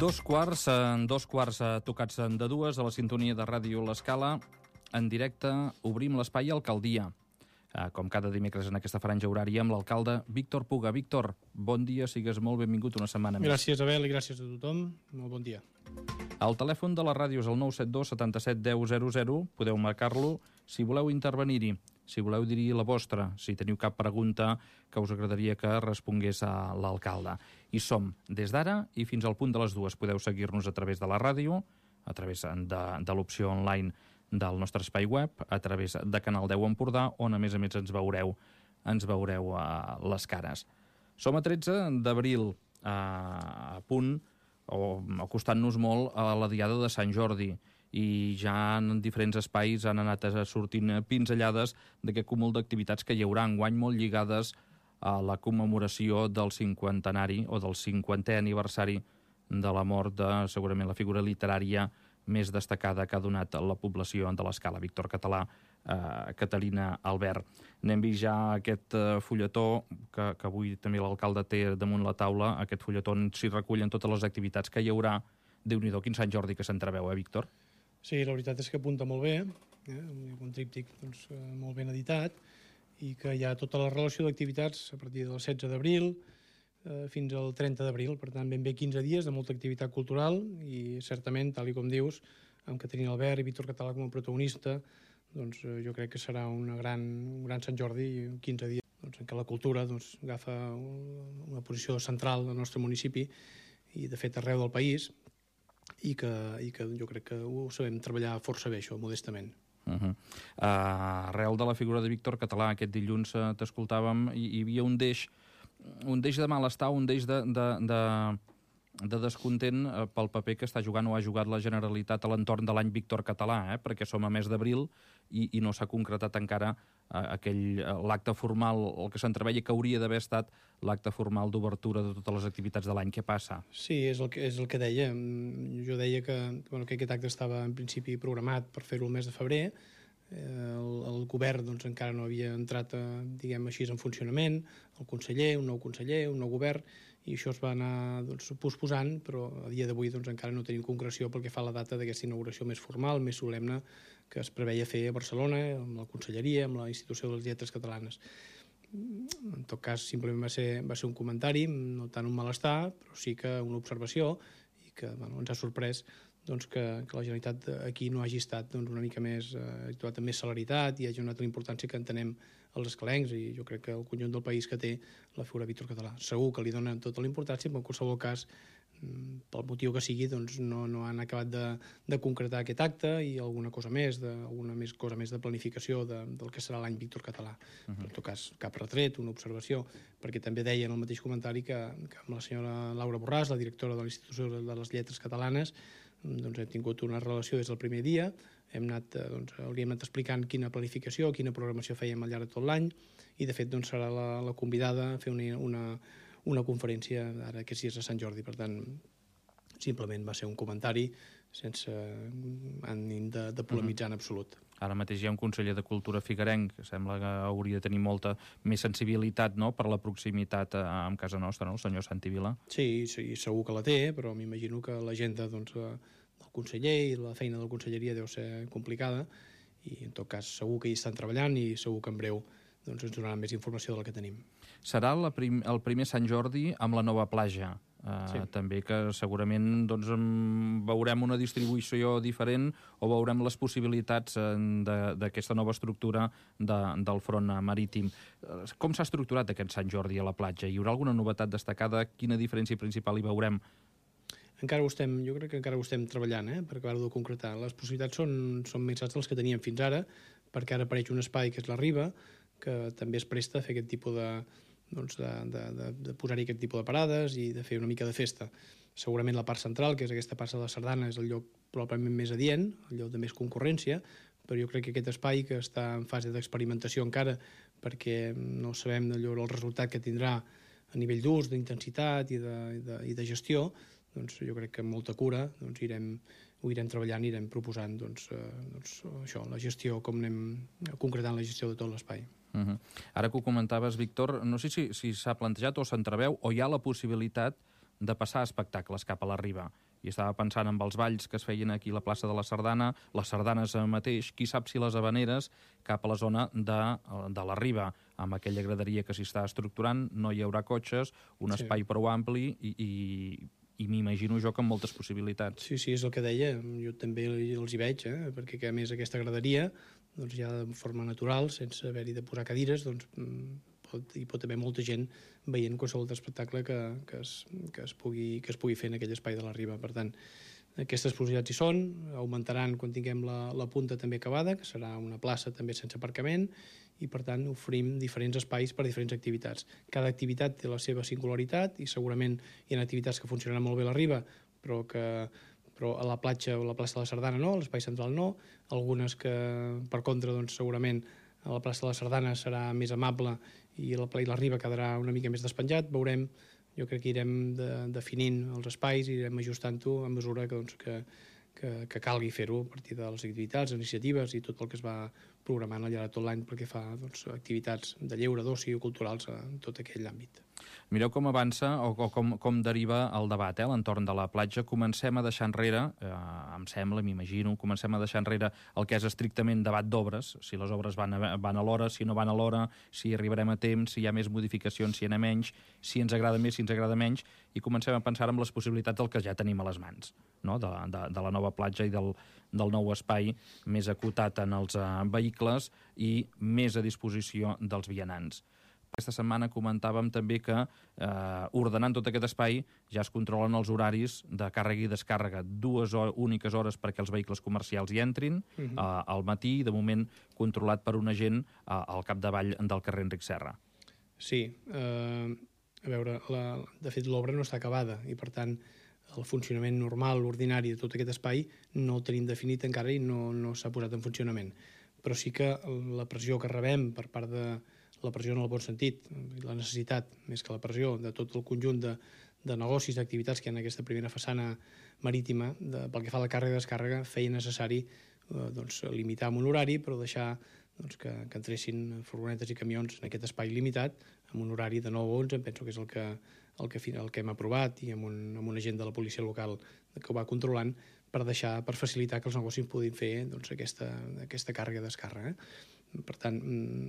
Dos quarts tocats de dues a la sintonia de Ràdio L'Escala. En directe obrim l'espai Alcaldia. Com cada dimecres en aquesta franja horària amb l'alcalde Víctor Puga. Víctor, bon dia, sigues molt benvingut una setmana més. Gràcies, Abel, i gràcies a tothom. Molt bon dia. El telèfon de la ràdio és el 972 77 10 00. Podeu marcar-lo si voleu intervenir-hi, si voleu dir la vostra, si teniu cap pregunta que us agradaria que respongués a l'alcalde. I som des d'ara i fins al punt de les dues. Podeu seguir-nos a través de la ràdio, a través de l'opció online del nostre espai web, a través de Canal 10 Empordà, on a més ens veureu a les cares. Som a 13 d'abril, a punt, o acostant-nos molt a la diada de Sant Jordi, i ja en diferents espais han anat sortint pinzellades d'aquest cúmul d'activitats que hi haurà enguany molt lligades a la commemoració del 50enari o del 50è aniversari de la mort de, segurament, la figura literària més destacada que ha donat la població de l'Escala, Víctor Català, Catalina Albert. N'hem vist ja aquest fulletó que avui també l'alcalde té damunt la taula, aquest fulletó on s'hi recullen totes les activitats que hi haurà. Déu-n'hi-do, quin Sant Jordi que s'entreveu, Víctor? Sí, la veritat és que apunta molt bé, un tríptic molt ben editat, i que hi ha tota la relació d'activitats a partir del 16 d'abril fins al 30 d'abril, per tant ben bé 15 dies de molta activitat cultural, i certament, tal com dius, amb Catalina Albert i Víctor Català com a protagonista, doncs jo crec que serà un gran Sant Jordi, i 15 dies en què la cultura agafa una posició central al nostre municipi i de fet arreu del país, i que jo crec que ho sabem treballar força bé, això, modestament. Arrel de la figura de Víctor Català, aquest dilluns t'escoltàvem, hi havia un deix de malestar, un deix de descontent pel paper que està jugant o ha jugat la Generalitat a l'entorn de l'any Víctor Català, perquè som a mes d'abril i no s'ha concretat encara l'acte formal, el que s'entreveia que hauria d'haver estat l'acte formal d'obertura de totes les activitats de l'any. Què passa? Sí, és el que deia. Jo deia que aquest acte estava en principi programat per fer-ho el mes de febrer. El govern encara no havia entrat, diguem així, en funcionament, el conseller, un nou govern, i això es va anar posposant, però a dia d'avui encara no tenim concreció pel que fa a la data d'aquesta inauguració més formal, més solemne, que es preveia fer a Barcelona, amb la Conselleria, amb la Institució de les Lletres Catalanes. En tot cas, simplement va ser un comentari, no tant un malestar, però sí que una observació, i que ens ha sorprès que la Generalitat aquí no hagi estat una mica més, actuat amb més celeritat i hagi donat la importància que entenem els escalencs, i jo crec que el conjunt del país que té la figura Víctor Català. Segur que li donen tota la importància, però en qualsevol cas, pel motiu que sigui, no han acabat de concretar aquest acte i alguna cosa més de planificació del que serà l'any Víctor Català. Però en tot cas, cap retret, una observació, perquè també deia en el mateix comentari que amb la senyora Laura Borràs, la directora de l'Institució de les Lletres Catalanes, hem tingut una relació des del primer dia, hauríem anat explicant quina planificació, quina programació fèiem al llarg de tot l'any, i de fet serà la convidada a fer una conferència ara aquests dies de Sant Jordi. Per tant, simplement va ser un comentari sense ànim de polemitzar en absolut. Ara mateix hi ha un conseller de Cultura figuerenc que sembla que hauria de tenir molta més sensibilitat, no?, per la proximitat amb casa nostra, no?, el senyor Santi Vila. Sí, segur que la té, però m'imagino que l'agenda del conseller i la feina de la conselleria deu ser complicada, i en tot cas segur que hi estan treballant i segur que en breu ens donaran més informació del que tenim. Serà el primer Sant Jordi amb la nova platja. Sí. També que segurament veurem una distribució diferent o veurem les possibilitats d'aquesta nova estructura del front marítim. Com s'ha estructurat aquest Sant Jordi a la platja? Hi haurà alguna novetat destacada? Quina diferència principal hi veurem? Jo crec que encara ho estem treballant, per acabar-ho de concretar. Les possibilitats són més altes dels que teníem fins ara, perquè ara apareix un espai que és la Riba, que també es presta a fer aquest tipus de posar-hi aquest tipus de parades i de fer una mica de festa. Segurament la part central, que és aquesta plaça de la Sardana, és el lloc probablement més adient, el lloc de més concurrència, però jo crec que aquest espai, que està en fase d'experimentació encara, perquè no sabem el resultat que tindrà a nivell d'ús, d'intensitat i de gestió, jo crec que amb molta cura ho irem treballant i irem proposant això, la gestió, com anem concretant la gestió de tot l'espai. Ara que ho comentaves, Víctor, no sé si s'ha plantejat o s'entreveu o hi ha la possibilitat de passar espectacles cap a la riba. I estava pensant en els balls que es feien aquí a la plaça de la Sardana, les sardanes mateix, qui sap si les habaneres cap a la zona de la riba, amb aquella graderia que s'hi està estructurant, no hi haurà cotxes, un espai prou ampli i m'imagino jo que amb moltes possibilitats. Sí, és el que deia, jo també els hi veig, perquè a més aquesta graderia, doncs ja de forma natural, sense haver-hi de posar cadires, doncs hi pot haver molta gent veient qualsevol espectacle que es pugui fer en aquell espai de la riba. Per tant, aquestes possibilitats hi són, augmentaran quan tinguem la punta també acabada, que serà una plaça també sense aparcament, i per tant oferim diferents espais per a diferents activitats. Cada activitat té la seva singularitat i segurament hi ha activitats que funcionaran molt bé a la riba, però a la platja o a la plaça de la Sardana no, a l'espai central no, algunes que per contra doncs, segurament a la plaça de la Sardana serà més amable i la riba quedarà una mica més despenjat. Veurem, jo crec que irem definint els espais i irem ajustant-ho a mesura que calgui fer-ho a partir de les activitats, iniciatives i tot el que es va programant al llarg de tot l'any perquè fa activitats de lleure, d'oci o culturals en tot aquell àmbit. Mireu com avança o com deriva el debat a l'entorn de la platja. Comencem a deixar enrere, em sembla, m'imagino, comencem a deixar enrere el que és estrictament debat d'obres, si les obres van a l'hora, si no van a l'hora, si arribarem a temps, si hi ha més modificacions, si n'hi ha menys, si ens agrada més, si ens agrada menys, i comencem a pensar en les possibilitats del que ja tenim a les mans, no? de la nova platja i del nou espai més acotat en els vehicles i més a disposició dels vianants. Aquesta setmana comentàvem també que ordenant tot aquest espai ja es controlen els horaris de càrrega i descàrrega, 2 úniques hores perquè els vehicles comercials hi entrin al matí, de moment controlat per un agent al capdavall del carrer Enric Serra. Sí, a veure, de fet l'obra no està acabada i per tant el funcionament normal, ordinari de tot aquest espai no el tenim definit encara i no s'ha posat en funcionament. Però sí que la pressió que rebem per part de la pressió en el bon sentit, la necessitat, més que la pressió, de tot el conjunt de negocis, d'activitats que hi ha en aquesta primera façana marítima, pel que fa a la càrrega i descàrrega, feia necessari limitar amb un horari, però deixar que entressin furgonetes i camions en aquest espai limitat, amb un horari de 9 a 11, penso que és el que hem aprovat, i amb un agent de la policia local que ho va controlant, per facilitar que els negocis puguin fer aquesta càrrega i descàrrega. Per tant,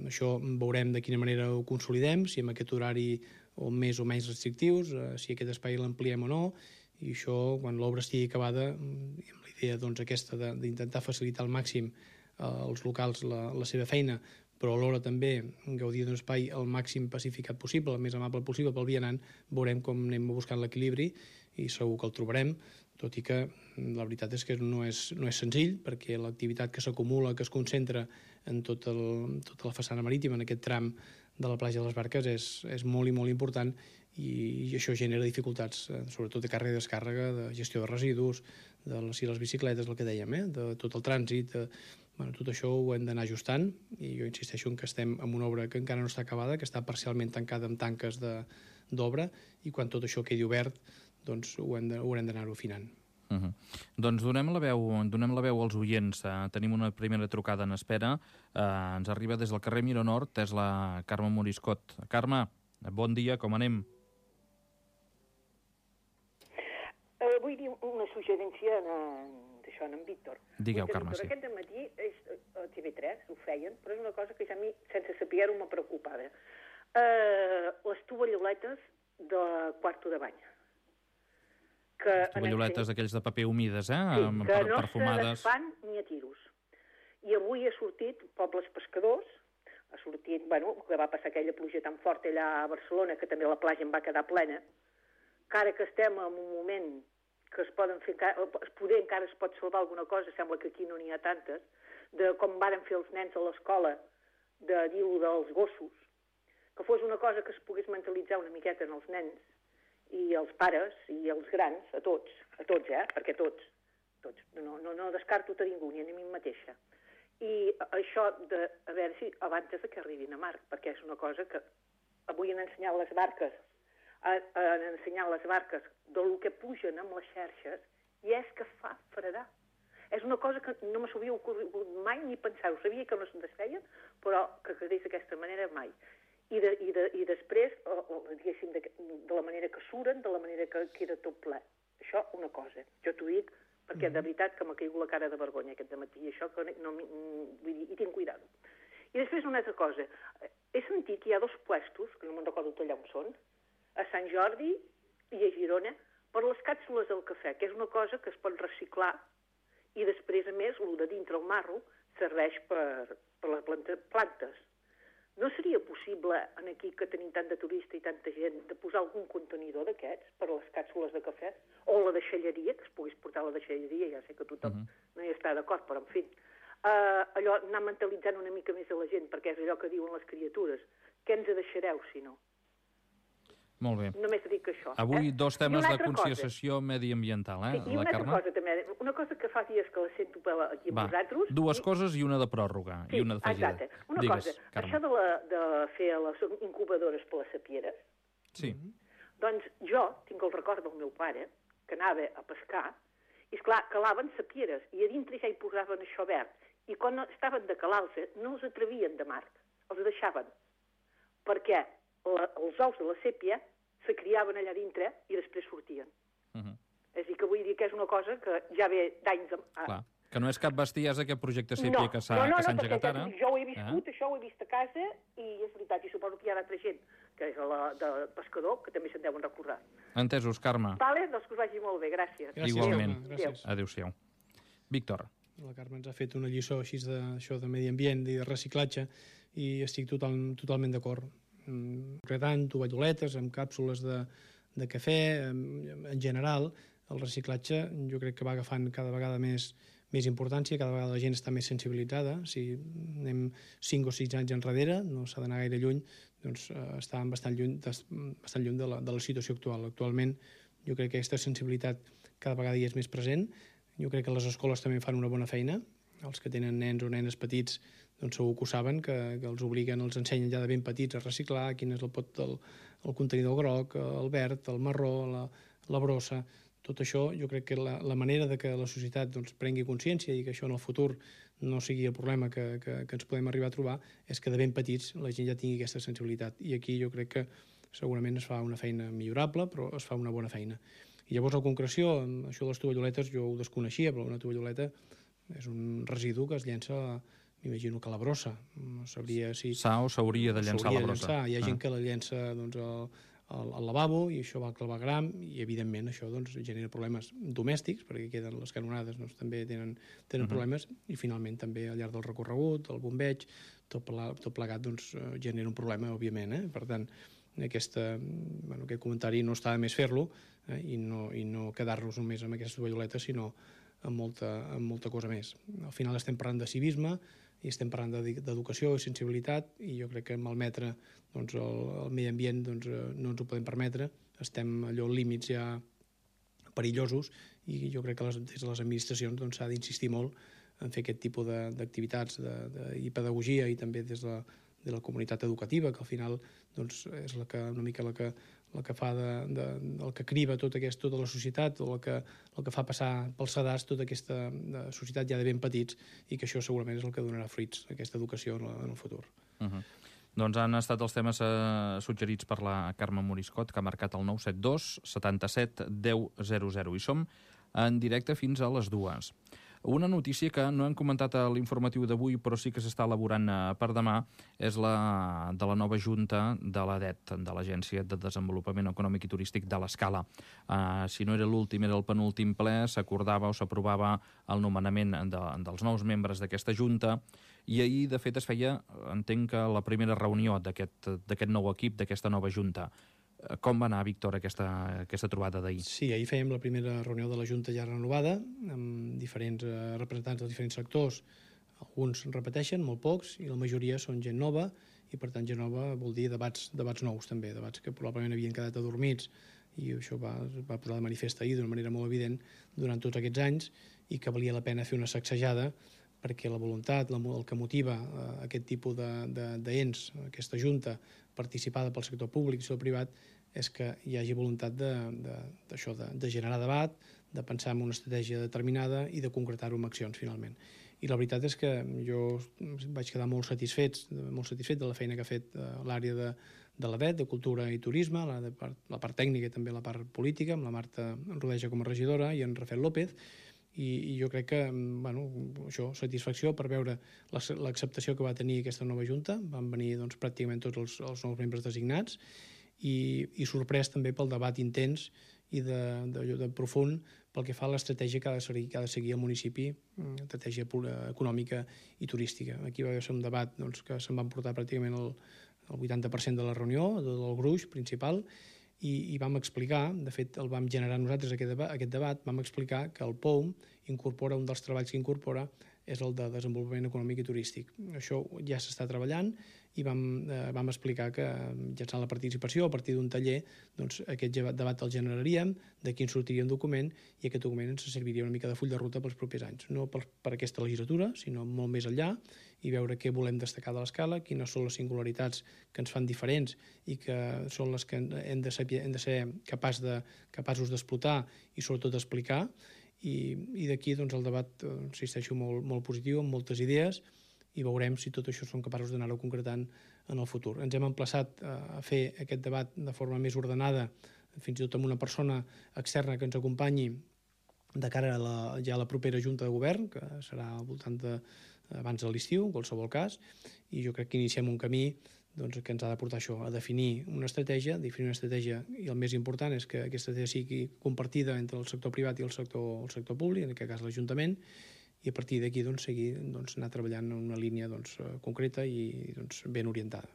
això veurem de quina manera ho consolidem, si amb aquest horari o més o menys restrictius, si aquest espai l'ampliem o no, i això, quan l'obra estigui acabada, amb la idea aquesta d'intentar facilitar al màxim als locals la seva feina, però alhora també gaudir d'un espai el màxim pacificat possible, el més amable possible pel vianant, veurem com anem buscant l'equilibri i segur que el trobarem, tot i que la veritat és que no és senzill, perquè l'activitat que s'acumula, que es concentra en tota la façana marítima, en aquest tram de la platja de les Barques, és molt i molt important, i això genera dificultats, sobretot de càrrega i descàrrega, de gestió de residus, de les bicicletes, el que dèiem, de tot el trànsit. Tot això ho hem d'anar ajustant, i jo insisteixo en que estem en una obra que encara no està acabada, que està parcialment tancada amb tanques d'obra, i quan tot això quedi obert, doncs haurem d'anar-ho afinant. Doncs donem la veu als oients. Tenim una primera trucada en espera. Ens arriba des del carrer Miró Nord, és la Carme Moriscot. Carme, bon dia, com anem? Vull dir una suggerència d'això, en Víctor. Digueu, Carme, sí. Aquest dematí a TV3 ho feien, però és una cosa que ja a mi, sense saber-ho, m'ha preocupada. Les tovalloletes de quarto de bany. Les tovalloletes aquells de paper humides, sí, que no se desfan ni a tiros. I avui ha sortit Pobles Pescadors, ha sortit, que va passar aquella pluja tan forta allà a Barcelona, que també la platja en va quedar plena, que ara que estem en un moment que es poden fer, poder encara es pot salvar alguna cosa, sembla que aquí no n'hi ha tantes, de com varen fer els nens a l'escola, de dir-ho dels gossos, que fos una cosa que es pogués mentalitzar una miqueta en els nens, i els pares i els grans, a tots, perquè tots, no descarto a ningú, ni a mi mateixa. I això a veure si abans que arribin a mar, perquè és una cosa que avui han ensenyat les barques, del que pugen amb les xarxes, i és que fa fredar. És una cosa que no me s'havia ocorregut mai ni pensar-ho. Sabia que no es desfeien, però que quedés d'aquesta manera mai. I després, diguéssim, de la manera que suren, de la manera que queda tot ple. Això, una cosa. Jo t'ho dic perquè de veritat que m'ha caigut la cara de vergonya aquest dematí, i això que no, vull dir, i tinc cuidado. I després una altra cosa. He sentit que hi ha 2 puestos, que no me'n recordo allà on són, a Sant Jordi i a Girona, per les càpsules del cafè, que és una cosa que es pot reciclar, i després, a més, el de dintre el marro serveix per les plantes. No seria possible, aquí que tenim tant de turista i tanta gent, de posar algun contenidor d'aquests per a les càpsules de cafè? O la deixalleria, que es pogués portar a la deixalleria, ja sé que tothom no hi està d'acord, però en fi. Allò, anar mentalitzant una mica més a la gent, perquè és allò que diuen les criatures. Què ens deixareu, si no? Molt bé. Només dic això. Avui 2 temes de conscienciació mediambiental, Sí, i una altra cosa també, una cosa que fa dies que la sento aquí amb vosaltres. 2 coses i una de pròrroga, i una d'afegida. Exacte. Una cosa, això de fer les incubadores per les sapieres, doncs jo tinc el record del meu pare, que anava a pescar, i esclar, calaven sapieres, i a dintre ja hi posaven això verd, i quan estaven de calar-se no els atrevien de mar, els deixaven, perquè els ous de la sèpia se criaven allà dintre i després sortien. És a dir, que vull dir que és una cosa que ja ve d'anys... Clar, que no és cap bestiesa aquest projecte sèpia que s'ha engegat ara. Jo ho he viscut, això ho he vist a casa, i és veritat, i suposo que hi ha d'altra gent, que és la de pescador, que també se'n deuen recordar. Entesos, Carme. Vale, doncs que us vagi molt bé, gràcies. Igualment. Adéu-siau. Víctor. La Carme ens ha fet una lliçó així d'això de medi ambient i de reciclatge, i estic totalment d'acord. Concretant tovalloletes amb càpsules de cafè, en general, el reciclatge jo crec que va agafant cada vegada més importància, cada vegada la gent està més sensibilitzada. Si anem 5 o 6 anys enrere, no s'ha d'anar gaire lluny, doncs estàvem bastant lluny de la situació actual. Actualment jo crec que aquesta sensibilitat cada vegada hi és més present. Jo crec que les escoles també fan una bona feina. Els que tenen nens o nenes petits doncs segur que ho saben, que els obliguen, els ensenyen ja de ben petits a reciclar, quin és el pot del contenidor groc, el verd, el marró, la brossa. Tot això jo crec que la manera de que la societat doncs, prengui consciència i que això en el futur no sigui el problema que ens podem arribar a trobar és que de ben petits la gent ja tingui aquesta sensibilitat. I aquí jo crec que segurament es fa una feina millorable, però es fa una bona feina. I llavors, a concreció, això de les tovalloletes jo ho desconeixia, però una tovalloleta és un residu que es llença, m'imagino que a la brossa. No sabria si... S'ha o s'hauria de llençar a la brossa. Hi ha gent que la llença doncs, al lavabo, i això va al clavegram, i evidentment això doncs, genera problemes domèstics, perquè queden les canonades, doncs, també tenen problemes, i finalment també al llarg del recorregut, el bombeig, tot plegat doncs, genera un problema, òbviament. Per tant, aquest comentari no està de més fer-lo, i no quedar-nos només amb aquestes tovalloletes, sinó amb molta cosa més. Al final estem parlant de civisme i estem parlant d'educació i sensibilitat, i jo crec que malmetre doncs, el medi ambient doncs, no ens ho podem permetre. Estem allò límits ja perillosos, i jo crec que des de les administracions doncs, s'ha d'insistir molt en fer aquest tipus d'activitats i pedagogia, i també des de la comunitat educativa, que al final doncs, és una mica la que fa el que criba tota la societat, o el que fa passar pels sedars tota aquesta societat ja de ben petits, i que això segurament és el que donarà fruits, aquesta educació en el futur. Doncs han estat els temes suggerits per la Carme Moriscot, que ha marcat el 972 77 10 00, i som en directe fins a les 2. Una notícia que no hem comentat a l'informatiu d'avui, però sí que s'està elaborant per demà, és la de la nova junta de l'ADET, de l'Agència de Desenvolupament Econòmic i Turístic de l'Escala. Si no era l'últim, era el penúltim ple, s'acordava o s'aprovava el nomenament dels nous membres d'aquesta junta, i ahir, de fet, es feia, entenc que la primera reunió d'aquest nou equip, d'aquesta nova junta. Com va anar, Víctor, aquesta trobada d'ahir? Sí, ahir fèiem la primera reunió de la Junta ja renovada, amb diferents representants dels diferents sectors. Alguns repeteixen, molt pocs, i la majoria són gent nova, i per tant gent nova vol dir debats nous també, debats que probablement havien quedat adormits, i això va posar de manifest ahir d'una manera molt evident durant tots aquests anys, i que valia la pena fer una sacsejada, perquè la voluntat, el que motiva aquest tipus d'ens, aquesta junta participada pel sector públic i el privat, és que hi hagi voluntat de generar debat, de pensar en una estratègia determinada i de concretar-ho amb accions, finalment. I la veritat és que jo vaig quedar molt satisfet de la feina que ha fet l'àrea de l'ADET, de Cultura i Turisme, la part tècnica i també la part política, amb la Marta Rodeja com a regidora i en Rafael López, i jo crec que, això, satisfacció per veure l'acceptació que va tenir aquesta nova Junta. Van venir pràcticament tots els nous membres designats i sorprès també pel debat intens i de profund pel que fa a l'estratègia que ha de seguir el municipi, estratègia econòmica i turística. Aquí va ser un debat que se'n va emportar pràcticament el 80% de la reunió, del gruix principal, i vam explicar, de fet el vam generar nosaltres aquest debat, vam explicar que el POUM incorpora, un dels treballs que incorpora és el de desenvolupament econòmic i turístic. Això ja s'està treballant i vam explicar que mitjançant la participació a partir d'un taller aquest debat el generaríem, d'aquí en sortiria un document i aquest document ens serviria una mica de full de ruta pels propers anys, no per aquesta legislatura, sinó molt més enllà, i veure què volem destacar de l'escala, quines són les singularitats que ens fan diferents i que són les que hem de ser capaços d'explotar i sobretot d'explicar. I d'aquí el debat, insisteixo, molt positiu, amb moltes idees, i veurem si tot això som capaços d'anar-ho concretant en el futur. Ens hem emplaçat a fer aquest debat de forma més ordenada, fins i tot amb una persona externa que ens acompanyi de cara a la propera Junta de Govern, que serà al voltant abans de l'estiu, en qualsevol cas, i jo crec que iniciem un camí que ens ha de portar això, a definir una estratègia, i el més important és que aquesta estratègia sigui compartida entre el sector privat i el sector públic, en aquest cas l'Ajuntament, i a partir d'aquí seguir anar treballant en una línia concreta i ben orientada.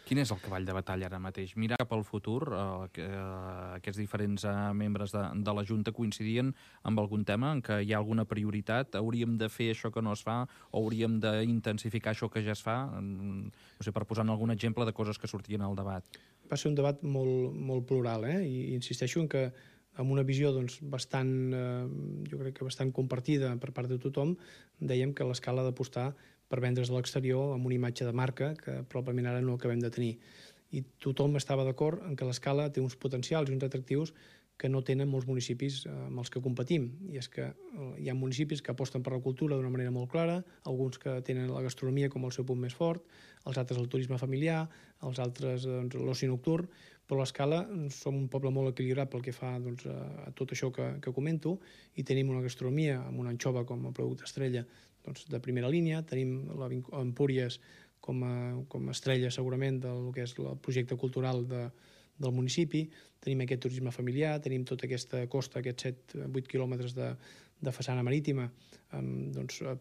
Quin és el cavall de batalla ara mateix? Mirar cap al futur, aquests diferents membres de la Junta coincidien amb algun tema en què hi ha alguna prioritat? Hauríem de fer això que no es fa o hauríem d'intensificar això que ja es fa? No sé, per posar algun exemple de coses que sortien al debat. Va ser un debat molt plural, i insisteixo en que amb una visió bastant, jo crec que bastant compartida per part de tothom, dèiem que l'escala ha d'apostar per vendre's a l'exterior amb una imatge de marca que probablement ara no acabem de tenir. I tothom estava d'acord en que l'escala té uns potencials i uns atractius que no tenen molts municipis amb els que competim. I és que hi ha municipis que aposten per la cultura d'una manera molt clara, alguns que tenen la gastronomia com el seu punt més fort, els altres el turisme familiar, els altres l'oci nocturn, però a l'escala som un poble molt equilibrat pel que fa a tot això que comento, i tenim una gastronomia amb una anxova com a producte estrella de primera línia, tenim l'Empúries com a estrella segurament del que és el projecte cultural del municipi, tenim aquest turisme familiar, tenim tota aquesta costa, aquests 7-8 quilòmetres de façana marítima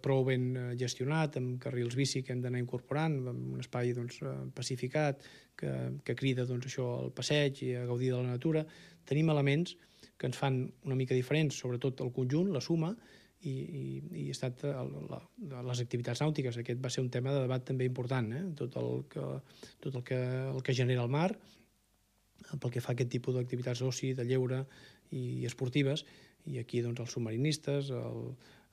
prou ben gestionat, amb carrils bici que hem d'anar incorporant, amb un espai pacificat que crida això al passeig i a gaudir de la natura. Tenim elements que ens fan una mica diferents, sobretot el conjunt, la suma, i ha estat les activitats nàutiques. Aquest va ser un tema de debat també important, tot el que genera el mar, pel que fa a aquest tipus d'activitats d'oci, de lleure i esportives, i aquí els submarinistes,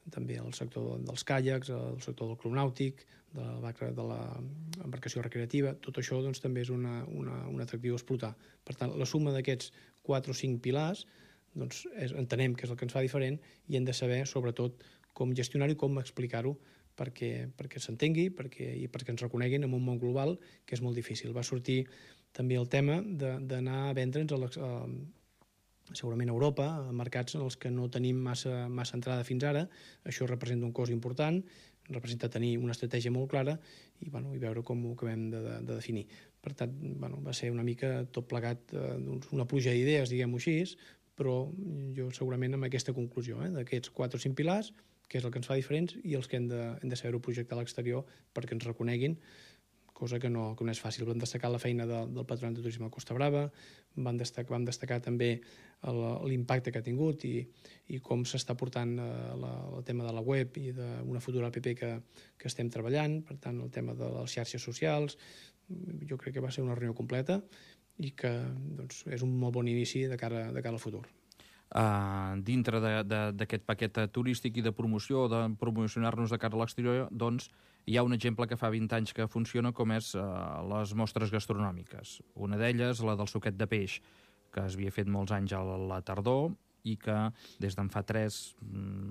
també el sector dels caiacs, el sector del club nàutic, de l'embarcació recreativa, tot això també és un atractiu a explotar. Per tant, la suma d'aquests 4 o 5 pilars entenem que és el que ens fa diferent i hem de saber, sobretot, com gestionar-ho i com explicar-ho perquè s'entengui i perquè ens reconeguin en un món global que és molt difícil. Va sortir també el tema d'anar a vendre'ns segurament a Europa, a mercats en els que no tenim massa entrada fins ara. Això representa un cost important, representa tenir una estratègia molt clara i veure com ho acabem de definir. Per tant, va ser una mica tot plegat una pluja d'idees, diguem-ho així, però jo segurament amb aquesta conclusió, d'aquests 4 o 5 pilars, que és el que ens fa diferents i els que hem de saber-ho projectar a l'exterior perquè ens reconeguin, cosa que no és fàcil. Vam destacar la feina del Patronat de Turisme de Costa Brava, vam destacar també l'impacte que ha tingut i com s'està portant el tema de la web i d'una futura app que estem treballant, per tant, el tema de les xarxes socials. Jo crec que va ser una reunió completa i que és un molt bon inici de cara al futur. Dintre d'aquest paquet turístic i de promoció, de promocionar-nos de cara a l'exterior, doncs hi ha un exemple que fa 20 anys que funciona, com és les mostres gastronòmiques. Una d'elles, la del suquet de peix, que es havia fet molts anys a la tardor, i que des d'en fa 3,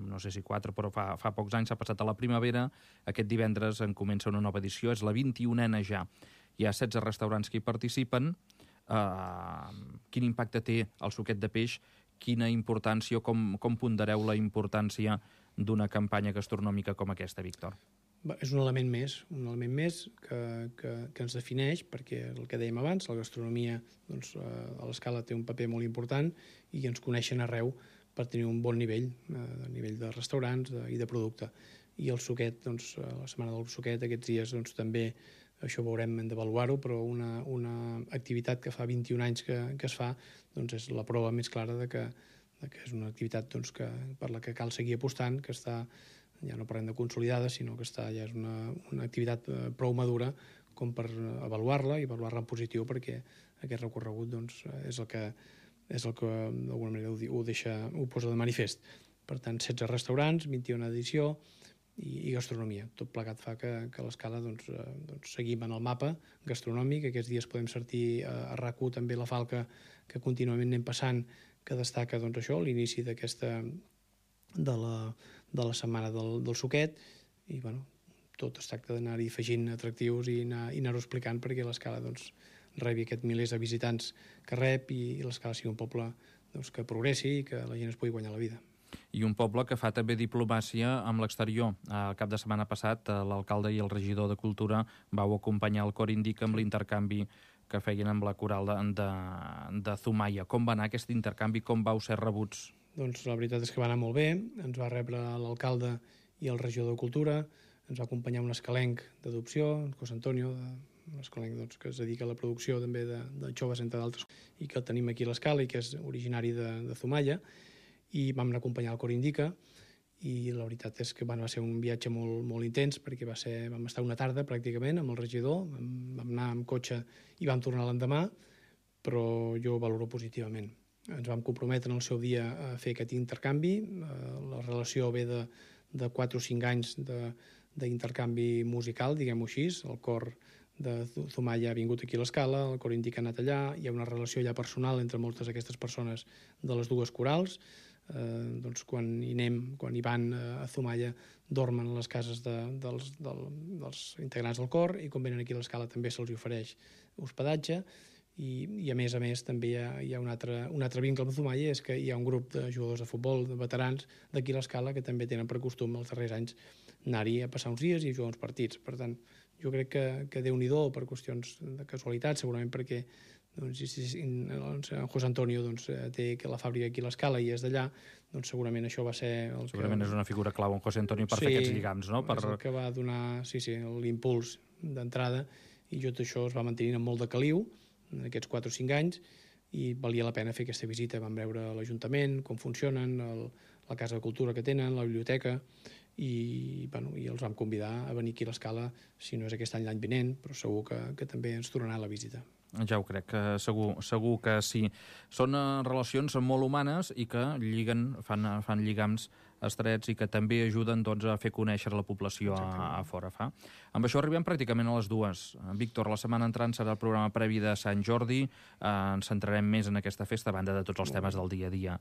no sé si 4, però fa pocs anys s'ha passat a la primavera. Aquest divendres en comença una nova edició, és la 21a ja. Hi ha 16 restaurants que hi participen. Quin impacte té el suquet de peix? Quina importància, com pondereu la importància d'una campanya gastronòmica com aquesta, Víctor? És un element més que ens defineix, perquè el que dèiem abans, la gastronomia doncs, a l'escala té un paper molt important i ens coneixen arreu per tenir un bon nivell, a nivell de restaurants i de producte. I el suquet, doncs, la setmana del suquet, aquests dies doncs, també això veurem d'avaluar-ho, però una activitat que fa 21 anys que es fa doncs, és la prova més clara de que és una activitat doncs, per la que cal seguir apostant, que està, ja no parlem de consolidada, sinó que ja és una activitat prou madura com per avaluar-la i avaluar-la en positiu, perquè aquest recorregut doncs, és el que d'alguna manera ho posa de manifest. Per tant, 16 restaurants, 21a edició i gastronomia. Tot plegat fa que a l'escala doncs, seguim en el mapa gastronòmic. Aquests dies podem sortir a RAC1 també la falca que contínuament anem passant, que destaca doncs, això, l'inici d'aquesta de la setmana del suquet, i bueno, tot es tracta d'anar-hi afegint atractius i anar-ho explicant perquè l'escala doncs, rebi aquests milers de visitants que rep i l'escala sigui un poble doncs, que progressi i que la gent es pugui guanyar la vida. I un poble que fa també diplomàcia amb l'exterior. El cap de setmana passat l'alcalde i el regidor de Cultura vau acompanyar el Cor Indica amb l'intercanvi que feien amb la coral de Zumaia. Com va anar aquest intercanvi? Com vau ser rebuts? Doncs la veritat és que va anar molt bé. Ens va rebre l'alcalde i el regidor de Cultura. Ens va acompanyar un escalenc d'adopció, en José Antonio, un escalenc doncs, que es dedica a la producció també de joves, entre d'altres, i que el tenim aquí a l'escala i que és originari de Zumaia. I vam anar a acompanyar el Cor Indica i la veritat és que va ser un viatge molt, molt intens perquè vam estar una tarda pràcticament amb el regidor, vam anar amb cotxe i vam tornar l'endemà, però jo ho valoro positivament. Ens vam comprometre en el seu dia a fer aquest intercanvi, la relació ve de 4 o 5 anys d'intercanvi musical, diguem-ho així, el cor de Zumaia ha vingut aquí a l'escala, el Cor Indica ha anat allà, hi ha una relació ja personal entre moltes d'aquestes persones de les dues corals. Doncs quan hi van a Zumaia dormen a les cases dels integrants del cor i quan venen aquí a l'escala també se'ls ofereix hospedatge i a més també hi ha un altre vincle amb Zumaia, és que hi ha un grup de jugadors de futbol, de veterans d'aquí a l'escala que també tenen per costum els darrers anys anar-hi a passar uns dies i jugar uns partits. Per tant, jo crec que Déu-n'hi-do per qüestions de casualitat, segurament perquè en José Antonio té la fàbrica aquí a l'escala i és d'allà, doncs segurament això va ser segurament és una figura clau en José Antonio per fer aquests lligams, no? És el que va donar l'impuls d'entrada i tot això es va mantenint amb molt de caliu en aquests 4 o 5 anys i valia la pena fer aquesta visita. Vam veure l'Ajuntament, com funcionen, la Casa de Cultura que tenen, la biblioteca i els vam convidar a venir aquí a l'escala, si no és aquest any l'any vinent, però segur que també ens tornarà la visita. Ja ho crec, segur que sí. Són relacions molt humanes i que fan lligams estrets i que també ajuden a fer conèixer la població a fora. Amb això arribem pràcticament a les 2. Víctor, la setmana entrant serà el programa previ de Sant Jordi. Ens centrarem més en aquesta festa, a banda de tots els temes del dia a dia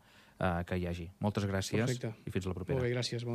que hi hagi. Moltes gràcies. Perfecte. I fins la propera. Molt bé, gràcies. Bon dia.